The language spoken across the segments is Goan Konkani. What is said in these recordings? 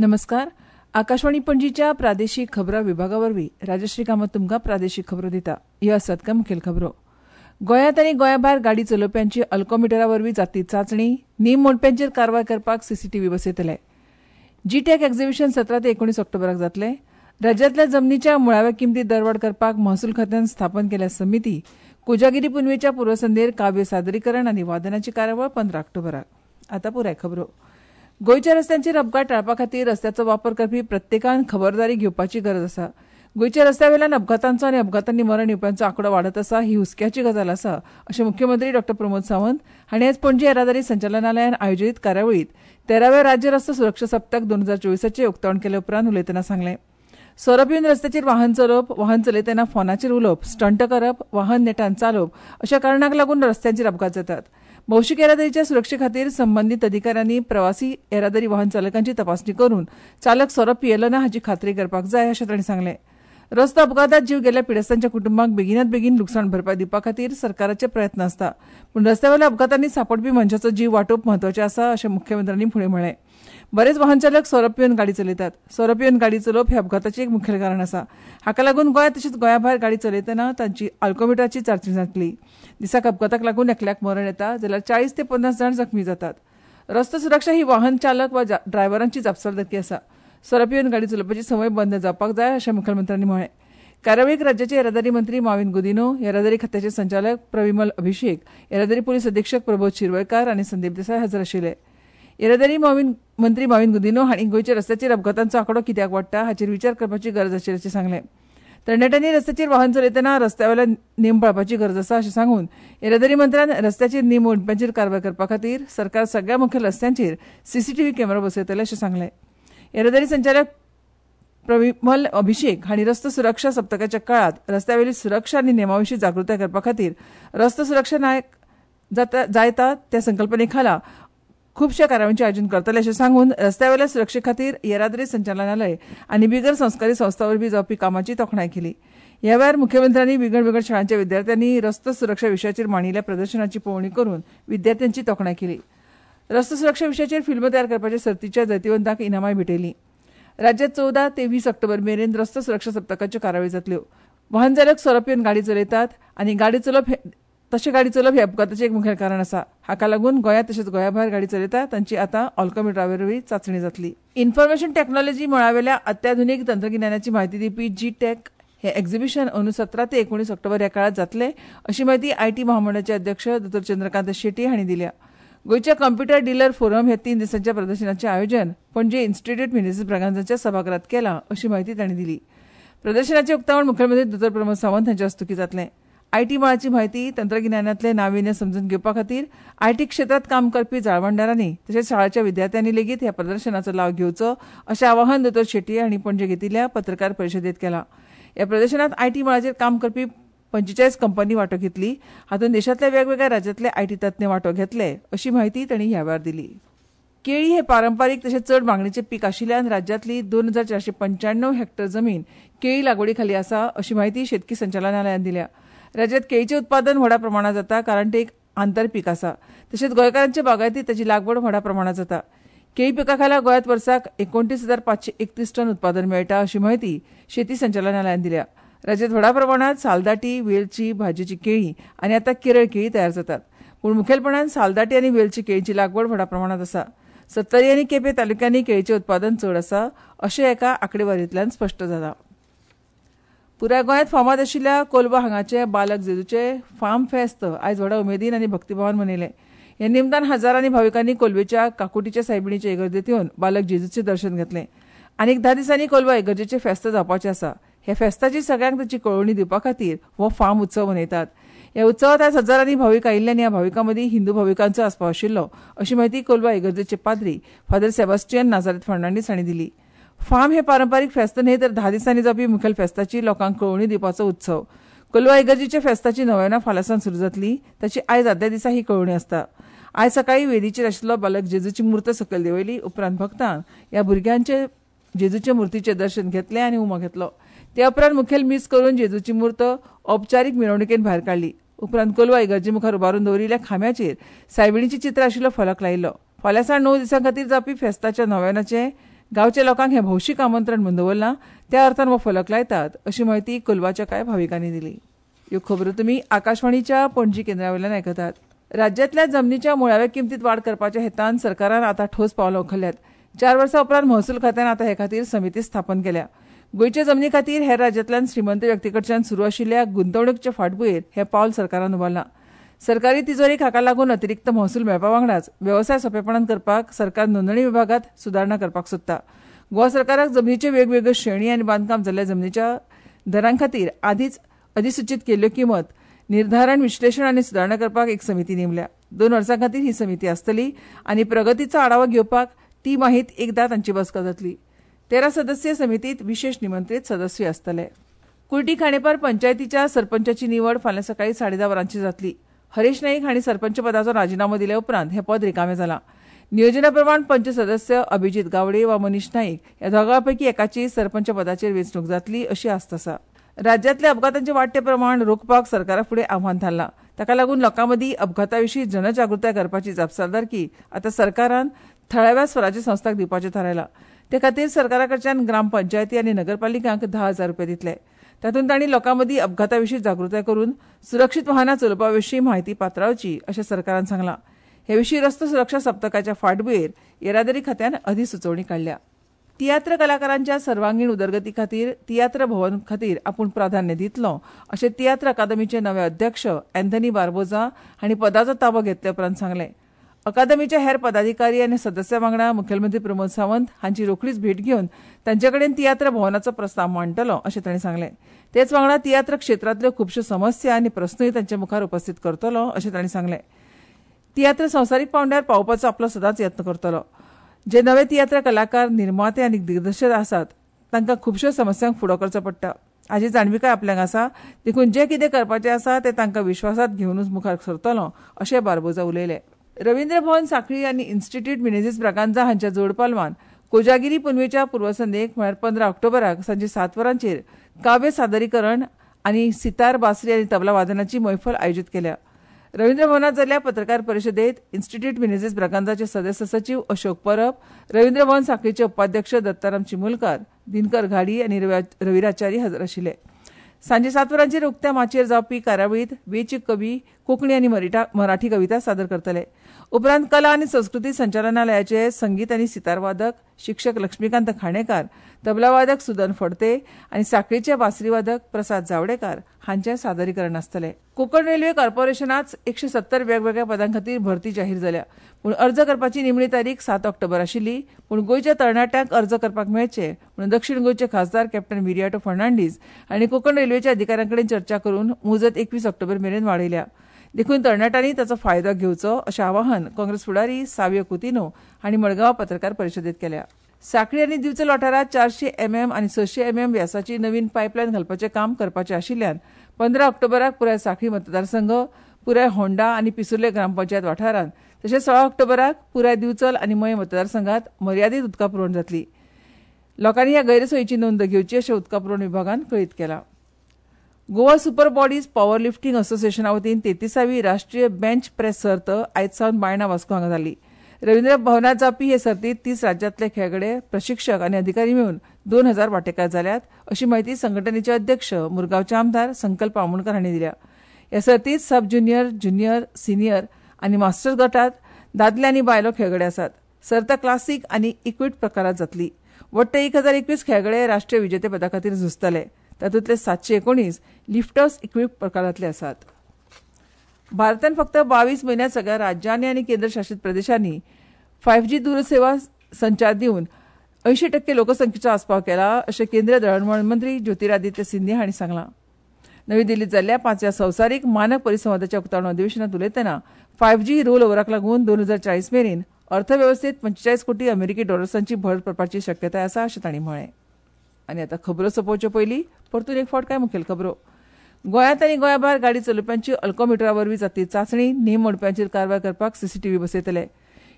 नमस्कार. आकाशवाणी पणजीच्या प्रादेशीक खबरां विभागा वरवीं राजश्री कामत तुमकां प्रादेशीक खबरो दिता. ह्यो आसात कांय मुखेल खबरो. गोंयांत आनी गोंया भायर गाडी चलोवप्यांची अल्कोमिटरा वरवीं जातली चांचणी. नेम मोडप्यांचेर कारवाय करपाक सीसीटीव्ही बसयतले. जीटॅक एक्झिबिशन 17 ते 19 ऑक्टोबराक जातले. राज्यांतल्या जमनीच्या मुळाव्या किमतीत दरवाड करपाक महसूल खात्यान स्थापन केल्या समिती. कोजागिरी पुनवेच्या पूर्वसंध्येर काव्य सादरीकरण आनी वादनाची कार्यावळ 15 ऑक्टोबराक. आतां पुराय खबरो. गोंयच्या रस्त्यांचेर अपघात टाळपा खातीर रस्त्याचो वापर करपी प्रत्येकान खबरदारी घेवपाची गरज आसा. गोंयच्या रस्त्यावेल्यान अपघातांचो आनी अपघातांनी मरण येवप्यांचो आंकडो वाडत आसा ही हुस्क्याची गजाल आसा अशें मुख्यमंत्री डॉ प्रमोद सावंत हांणी आयज पणजी येरादारी संचालनालयान आयोजीत कार्यावळींत 13व्या राज्य रस्तो सुरक्षा सप्तक 2024 उक्तावण केले उपरांत उलयतना सांगलें. सोरो पिवन रस्त्याचेर वाहन चलोवप, वाहन चलयतना फोनाचेर उलोवप, स्टंट करप, वाहन नेटान चालोवप अशा कारणांक लागून रस्त्यांचेर अपघात जातात. भौशीक येरादारीच्या सुरक्षे खातीर संबंदीत अधिकाऱ्यांनी प्रवासी येरादारी वाहन चालकांची तपासणी करून चालक सोरो पियेलो ना हाची खात्री करपाक जाय अशें तांणी सांगलें. रस्तो अपघातात जीव गेल्ल्या पिडेस्तांच्या कुटुंबांक बेगिनात बेगीन लुकसाण भरपाय दिवपा खातीर सरकाराचे प्रयत्न आसता, पूण रस्त्यावेल्या अपघातांनी सांपडपी मनशाचो जीव वाटोवप म्हत्वाचें आसा अशें मुख्यमंत्र्यांनी फुडें म्हळें. बरेच वाहन चालक सोरो पिवन गाडी चलयतात. सोरो पिवन गाडी चलोवप हें अपघाताचें एक मुखेल कारण आसा. हाका लागून गोंयांत तशेंच गोंया भायर गाडी चलयतना तांची अल्कोमिटराची चांचणी जातली. दिसाक अपघाताक लागून एकल्याक मरण येता जाल्यार 40 ते 50 जाण जखमी जातात. रस्तो सुरक्षा ही वाहन चालक वा ड्रायव्हरांची जापसालदारकी आसा. सोरो पिवन गाडी चलोवपाची संवय बंद जावपाक जाय अशें मुखेलमंत्र्यांनी म्हळें. कार्यावळीक राज्याचे येरादारी मंत्री माविन गुदिन्हो, येरादारी खात्याचे संचालक प्रविमल अभिषेक, येरादारी पुलीस अधिक्षक प्रबोध शिरवयकार आनी संदीप देसाय हजर आशिल्ले. येरादारी मंत्री माविन गुदिन्हो हांणी गोंयच्या रस्त्याचेर अपघातांचो आंकडो कित्याक वाडटा हाचेर विचार करपाची गरज आशिल्ल्याचें सांगलें. तरणाट्यांनी रस्त्याचेर वाहन चलयतना रस्त्यावेले नेम पाळपाची गरज आसा अशें सांगून येरादारी मंत्र्यान रस्त्याचेर नेम मोडप्यांचेर कारवाय करपा खातीर सरकार सगळ्या मुखेल रस्त्यांचेर सीसीटीव्ही कॅमेरो बसयतले अशें सांगलें. येरादारी संचालक प्रविमल अभिषेक हांणी रस्तो सुरक्षा सप्तकाच्या काळांत रस्त्यावेली सुरक्षा आनी नेमा विशीं जागृताय करपा खातीर रस्तो सुरक्षा नायक जायता त्या संकल्पने खाला खुबश्या कार्यावळींचें आयोजन करतले अशें सांगून रस्त्यावेल्या सुरक्षे खातीर येरादारी संचालनालय आनी बिगर संस्कारी संस्था वरवीं जावपी कामाची तोखणाय केली. ह्या वेळार मुख्यमंत्र्यांनी विंगड विंगड शाळांच्या विद्यार्थ्यांनी रस्तो सुरक्षा विशयाचेर मांडिल्ल्या प्रदर्शनाची पळोवणी करून विद्यार्थ्यांची तोखणाय केली. रस्तो सुरक्षा विशयाचेर फिल्म तयार करपाच्या सर्तीच्या जैतिवंतांक इनामाय भेटयलीं. राज्यांत 14 ते 20 ऑक्टोबर मेरेन रस्तो सुरक्षा सप्तकाच्यो कार्यावळी जातल्यो. वाहन चालक सोरो पिवन गाडी चलयतात आनी गाडी चलोवप तशें गाडी चलोवप हें अपघाताचें एक मुखेल कारण आसा. हाका लागून गोंयांत तशेंच गोंया भायर गाडी चलयतात तांची आतां अल्कोमिटरा वरवीं चांचणी जातली. इन्फॉर्मेशन टॅक्नॉलॉजी मळावेल्या अत्याधुनीक तंत्रगिन्यानाची म्हायती दिवपी जीटॅक हें एक्झिबिशन अंदू 17 ते 19 ऑक्टोबर ह्या काळांत जातलें अशी म्हायती IT महामंडळाचे अध्यक्ष दोतोर चंद्रकांत शेट्टी हांणी दिल्या. गोंयच्या कॉम्प्युटर डिलर फोरम हे 3 दिसांच्या प्रदर्शनाचें आयोजन पणजे इन्स्टिट्यूट मिनेझीस ब्रागांझाच्या सभाघरांत केलां अशी म्हायती तांणी दिली. प्रदर्शनाचें उक्तावण मुखेलमंत्री दोतोर प्रमोद सावंत हांच्या हस्तुकीं जातलें. IT मळाची म्हायती, तंत्रगिन्यानांतलें नाविन्य समजून घेवपा खातीर IT क्षेत्रांत काम करपी जाळवणदारांनी तशेंच शाळाच्या विद्यार्थ्यांनी लेगीत ह्या प्रदर्शनाचो लाव घेवचो अशें आवाहन दोतोर शेट्टी हांणी पणजे घेतिल्ल्या पत्रकार परिशदेंत केलां. ह्या प्रदर्शनांत IT मळाचेर काम करपी 45 कंपनी वांटो घेतली. हातूंत देशांतल्या वेगवेगळ्या राज्यांतले IT तज्ञ वांटो घेतले अशी म्हायती तांणी ह्या वेळार दिली. केळी हें पारंपारीक तशेंच चड मागणीचें पीक आशिल्ल्यान राज्यांतली 2495 हॅक्टर जमीन केळी लागवडी खाली आसा अशी म्हायती शेतकी संचालनालयान दिल्या. राज्यांत केळीचें उत्पादन व्हडा प्रमाणांत जाता कारण तें एक आंतरपीक आसा. तशेंच गोंयकारांच्या बागायतींत ताची लागवड व्हडा प्रमाणांत जाता. केळी पिका खाला गोंयांत वर्साक 29,531 टन उत्पादन मेळटा अशी म्हायती शेती संचालनालयान दिल्या. राज्यांत व्हडा प्रमाणांत सालदाटी, वेलची, भाजयेची केळी आनी आतां केरळ केळी तयार जातात. पूण मुखेलपणान सालदाटी आनी वेलची केळीची लागवड व्हडा प्रमाणांत आसा. सत्तरी आनी केपें तालुक्यांनी केळीचें उत्पादन चड आसा अशें एका आंकडेवारींतल्यान स्पश्ट जालां. पुराय गोंयांत फामाद आशिल्ल्या कोलवा हांगाचे बालक जेजूचे फार्म फेस्त आयज व्हडा उमेदीन आनी भक्तिभावान मनयलें. ह्या निमतान हजारांनी भाविकांनी कोलवेच्या काकुटीच्या सायबिणीचे इगर्जेंत येवन बालक जेजूचें दर्शन घेतलें. आनीक 10 दिसांनी कोलवा इगर्जेचें फेस्त जावपाचें आसा. ह्या फेस्ताची सगळ्यांक ताची कळोवणी दिवपा खातीर हो फार्म उत्सव मनयतात. ह्या उत्सवांत आयज हजारांनी भावीक आयिल्ले आनी ह्या भाविकां मदीं हिंदू भाविकांचो आस्पाव आशिल्लो अशी म्हायती कोलवा इगर्जेचे पाद्री फादर सेबास्टियन नाजारेत फर्नांडीस हांणी दिली. फार्म हें पारंपारीक फेस्त न्हय तर 10 दिसांनी जावपी मुखेल फेस्ताची लोकांक कळोवणी दिवपाचो उत्सव. कोलवा इगर्जेच्या फेस्ताची नोवेना फाल्यांसावन सुरू जातली. ताची आयज आदल्या दिसा ही कळोवणी आसता. आयज सकाळीं वेदीचेर आशिल्लो बालक जेजूची मूर्त सकयल देंवयली. उपरांत भक्तांक ह्या भुरग्यांचे जेजूच्या मूर्तीचें दर्शन घेतलें आनी उमो घेतलो. त्या उपरांत मुखेल मीस करून जेजूची मूर्त औपचारीक मिरवणुकेन भायर काडली. उपरांत कोलवा इगर्जे मुखार उबारून दवरिल्ल्या खांब्याचेर सायबिणीचें चित्र आशिल्लो फलक लायिल्लो. फाल्यां सावन 9 दिसां खातीर जावपी फेस्ताच्या नोवेनाचें गांवच्या लोकांक हें भौशीक आमंत्रण म्हूण दवरलां, त्या अर्थान हो फलक लायतात अशी म्हायती कोलवाच्या कांय भाविकांनी दिली. ह्यो खबरो तुमी आकाशवाणीच्या पणजी केंद्रा वयल्यान आयकतात. राज्यांतल्या जमनीच्या मुळाव्या किमतीत वाड करपाच्या हेतान सरकारान आतां ठोस पावलां उखल्ल्यात. 4 वर्सां उपरांत महसूल खात्यान आतां हे खातीर समिती स्थापन केल्या. गोंयच्या जमनी खातीर हेर राज्यांतल्यान श्रीमंत व्यक्ती कडच्यान सुरू आशिल्ल्या गुंतवणुकीच्या फाटभुंयेर हें पावल सरकारान उबारलां. सरकारी तिजोरेक हाका लागून अतिरिक्त महसूल मेळपा वांगडाच वेवसाय सोंपेपणान करपाक सरकार नोंदणी विभागांत सुदारणा करपाक सोदता. गोवा सरकाराक जमनीच्यो वेगवेगळ्यो श्रेणी आनी बांदकाम जाल्ल्या जमनीच्या दरां खातीर आदींच अधिसुचीत केल्ल्यो किंमत निर्धारण, विश्लेशण आनी सुदारणा करपाक एक समिती नेमल्या. 2 वर्सां खातीर ही समिती आसतली आनी प्रगतीचो आढावो घेवपाक ती माहीत एकदां तांची बसका जातली. 13 सदस्यीय समितीत विशेष निमंत्रीत सदस्यूय आसतले. कुर्टी खांडेपार पंचायतीच्या सरपंचाची निवड फाल्यां सकाळीं 10:30 वरांची जातली. हरेश नाईक हांणी सरपंच पदाचो राजिनामो दिले उपरांत हें पद रिकामें जालां. नियोजना प्रमाण पंच सदस्य अभिजीत गावडे वा मनीष नाईक ह्या दोगां पैकी एकाची सरपंच पदाचेर वेंचणूक जातली अशी आस्त आसा. राज्यांतल्या अपघातांचें वाडटें प्रमाण रोखपाक सरकारा फुडें आव्हान थारलां. ताका लागून लोकां मदीं अपघाता विशीं जनजागृताय करपाची जापसालदारकी आतां सरकारान थळाव्या स्वराज्य संस्थांक दिवपाचें थारायलां. ते खातीर सरकारा कडच्यान ग्रामपंचायती आनी नगरपालिकांक 10,000 रुपया दितले. तातूंत तांणी लोकां मदीं अपघाता विशीं जागृताय करून सुरक्षीत वाहनां चलोवपा विशीं म्हायती पातळावची अशें सरकारान सांगलां. हे विशीं रस्तो सुरक्षा सप्तकाच्या फाटभुंयेर येरादारी खात्यान अधिसुचोवणी काडल्या. तियात्र कलाकारांच्या सर्वांगीण उदरगती खातीर तियात्र भवन खातीर आपूण प्राधान्य दितलो अशें तियात्र अकादमीचे नवे अध्यक्ष अँथनी बार्बोजा हांणी पदाचो ताबो घेतले उपरांत सांगलें. अकादमीच्या हेर पदाधिकारी आनी सदस्यां वांगडा मुखेलमंत्री प्रमोद सावंत हांची रोखडीच भेट घेवन तांचे कडेन तियात्र भवनाचो प्रस्ताव मांडटलो अशें तांणी सांगलें. तेच वांगडा तियात्र क्षेत्रांतल्यो खुबश्यो समस्या आनी प्रस्नूय तांचे मुखार उपस्थित करतलो अशें तांणी सांगलें. तियात्र संवसारीक पांवड्यार पावोवपाचो आपलो सदांच यत्न करतलो. जे नवे तियात्र कलाकार, निर्माते आनी दिग्दर्शक आसात तांकां खुबश्यो समस्यांक फुडो करचो पडटा हाची जाणविकाय आपल्याक आसा, देखून जें कितें करपाचें आसा तें तांकां विश्वासांत घेवनूच मुखार सरतलो अशें बार्बोजा उलयले. रवींद्र भवन सांखळी आनी इन्स्टिट्यूट मिनेझीस ब्रागांझा हांच्या जोडपालवान कोजागिरी पुनवेच्या पूर्वसंध्येक म्हळ्यार 15 ऑक्टोबराक सांजे 7 वरांचेर काव्य सादरीकरण आनी सितार, बासरी आनी तबला वादनाची मैफल आयोजीत केल्या. रवींद्र भवनात जाल्ल्या पत्रकार परिशदेत इन्स्टिट्यूट मिनेझीस ब्रागांझाचे सदस्य सचीव अशोक परब, रवींद्र भवन सांखळीचे उपाध्यक्ष दत्ताराम चिमुलकार, दिनकर घाडी आनी रविराचारी हजर आशिल्ले. सांजे 7 वरांचेर उक्त्या माचयेर जावपी कार्यावळींत वेंचीक कवी कोंकणी आनी मराठी कविता सादर करतले. उपरांत कला आनी संस्कृती संचालनालयाचे संगीत आनी सितारवादक शिक्षक लक्ष्मीकांत खाणेकार, तबलावादक सुदन फडते आनी सांखळीचे बासरीवादक प्रसाद जावडेकार हांचें सादरीकरण आसतलें. कोंकण रेल्वे कॉर्पोरेशनांत 170 वेगवेगळ्या पदां खातीर भरती जाहीर जाल्या, पूण अर्ज करपाची निमणी तारीख 7 ऑक्टोबर आशिल्ली. पूण गोंयच्या तरणाट्यांक अर्ज करपाक मेळचे म्हणून दक्षिण गोंयचे खासदार कॅप्टन विरियाटो फर्नांडीस हांणी कोंकण रेल्वेच्या अधिकाऱ्यां कडेन चर्चा करून मुजत 21 ऑक्टोबर मेरेन वाडयल्या. देखून तरणाट्यांनी ताचो फायदो घेवचो अशें आवाहन काँग्रेस फुडारी सावियो कुतिन्हो हांणी मडगांवां पत्रकार परिशदेंत केल्या. सांखळी आनी दिवचल वाठारांत 400 mm आनी 600 mm व्यासाची नवीन पायपलायन घालपाचें काम करपाचें आशिल्ल्यान 15 ऑक्टोबराक पुराय सांखळी मतदारसंघ, पुराय होंडा आनी पिसुर्ले ग्रामपंचायत वाठारांत तशेंच 16 ऑक्टोबराक पुराय दिवचल आनी मयें मतदारसंघात मर्यादीत उदका पुरवण जातली. लोकांनी ह्या गैरसोयीची नोंद घेवची अशें उदका पुरवण विभागान कळीत केलां. Goa super bodies power lifting असोसिएशना वतीन 33वी राष्ट्रीय बेंच प्रेस सर्त आयज सावन बायणा वास्को हांगा जाली. रवींद्र भवनात जावपी हे सर्तीत 30 राज्यांतले खेळगडे, प्रशिक्षक आनी अधिकारी मेळून 2000 वांटेकार जाल्यात अशी म्हायती संघटनेचे अध्यक्ष मुरगांवचे आमदार संकल्प आमोणकर हांणी दिल्या. ह्या सर्तीत सब ज्युनियर, ज्युनियर, सिनियर आनी मास्टर्स गटात दादले आनी बायलो खेळगडे आसात. सर्त क्लासीक आनी इक्विट प्रकारात जातली. वट्ट 1021 खेळगडे राष्ट्रीय विजेतेपदा खातीर झुजतले. तातूंतले 719 लिफ्टर्स इक्विप प्रकारांतले आसात. भारतान फक्त 22 म्हयन्यांत सगळ्या राज्यांनी आनी केंद्रशासीत प्रदेशांनी 5G दूरसेवा संचार दिवन 80% लोकसंख्येचो आस्पाव केला अशें केंद्रीय दळणवळण मंत्री ज्योतिरादित्य सिंधिया हांणी सांगलां. नवी दिल्लीत जाल्ल्या 5व्या संवसारीक मानक परिसंवादाच्या उक्तावण अधिवेशनांत उलयतना 5G role ओव्हराक लागून 2040 मेरेन अर्थवेवस्थेत 45 कोटी अमेरिकी डॉलर्सांची भर पडपाची शक्यताय आसा अशें तांणी म्हळें. आनी आतां खबरो सोंपोवचे पयलीं परतून एक फावट कांय मुखेल खबरो. गोंयांत आनी गोंया भायर गाडी चलोवप्यांची अल्कोमिटरा वरवीं जातली चांचणी, नेम मोडप्यांचेर कारवाय करपाक सीसीटीव्ही बसयतले.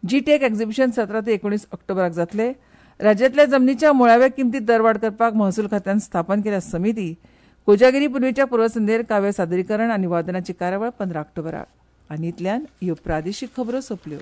जी टेक एक्झिबिशन 17 ते 19 ऑक्टोबराक जातले. राज्यांतल्या जमनीच्या मुळाव्या किमतीत दरवाड करपाक महसूल खात्यान स्थापन केल्या समिती. कोजागिरी पुनवेच्या पूर्वसंध्येर काव्य सादरीकरण आनी वादनाची कार्यावळ 15 ऑक्टोबराक. आनी इतल्यान ह्यो प्रादेशीक खबरो सोंपल्यो.